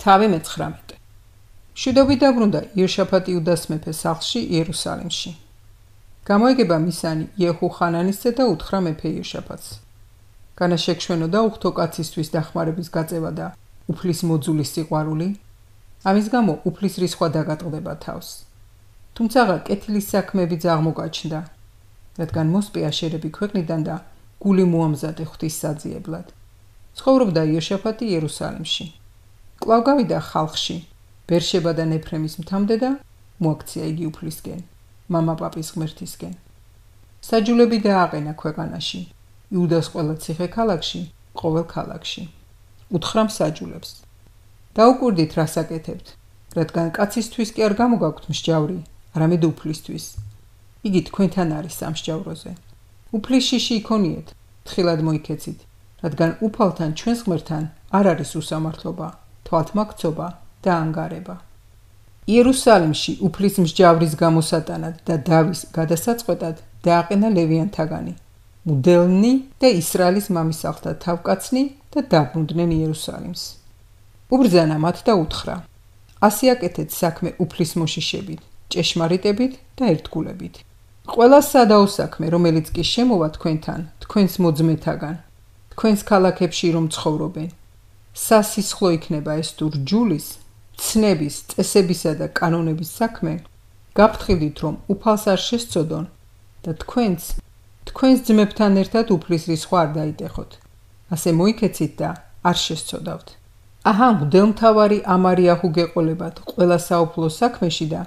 თავი მე-19. მშვიდობით დაბრუნდა იოშაფატი იუდას მეფეს სახლში იერუსალიმში. გამოეგება მისანი იეჰუ ხანანისზე და უთხრა მეფე იოშაფატს. განა შეგვშვენოდა უხთო კაცისთვის დახმარების გაწევა და უფლის მოძულის სიყვარული, ამის გამო უფლის რისხვა დაგატყდება თავს. თუმცა კეთილის საქმეებიც აღმოგაჩნდა, რადგან მოსპე აშერები ქვეყნიდან და გული მოამზადე ღვთის საძიებლად. ცხოვრობდა იოშაფატი იერუსალიმში. კვლავ გავიდა ხალხში, ბერშება და ნეფრემის მთამდე და მოაქცია იგი უფლისკენ, მამა პაპის ღმერთისკენ. საჯულები დააყენა ქვეყანაში, იუდას ყველა ციხე ქალაქში, ყოველ ქალაქში. უთხრა მსაჯულებს: დაუკვირდით, რას აკეთებთ, რადგან კაცისთვის კი არ გამოგაქვთ მსჯავრი, არამედ უფლისთვის. იგი თქვენთან არის სამსჯავროზე. უფლის შიში იქონიეთ, თხილად მოიქეცით, რადგან უფალთან ჩვენს ღმერთთან არ არის უსამართლობა, თვალთმაქცობა და ანგარება. იერუსალიმში უფლის მსჯავრის გამოსატანად და დავის გადასაწყვეტად დააყენა ლევიანთაგანი, მუდელნი და ისრაელის მამისალთა თავკაცნი და დაბრუნდნენ იერუსალიმს. უბრძანა მათ და უთხრა: ასე აკეთეთ საქმე უფლის მოშიშებით, ჭეშმარიტებით და ერთგულებით. ყველა სადაო საქმე, რომელიც კი შემოვა თქვენთან, თქვენს მოძმეთაგან, თქვენს ქალაქებში რომ ცხოვრობენ, სასისხლო იქნება ეს თუ რჯულის, ცნების, წესებისა და კანონების საქმე, გაფრთხილდით, რომ უფალს არ შესწოდონ და თქვენს ძმებთან ერთად უფლის რისხვა არ დაიტეხოთ. ასე მოიქეცით და არ შესწოდავთ. აჰა, მღვდელმთავარი ამარიაჰუ გეყოლებათ ყველა საუფლო საქმეში და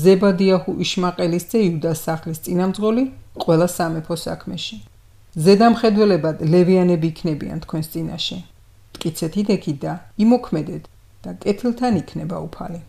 ზებადიაჰუ იშმაყელის ძე იუდას სახლის წინამძღოლი ყველა სამეფო საქმეში. ზედამხედველებად ლევიანები იქნებიან თქვენს წინაშე. მტკიცეთ იდექით და იმოქმედეთ და კეთილთან იქნება უფალი.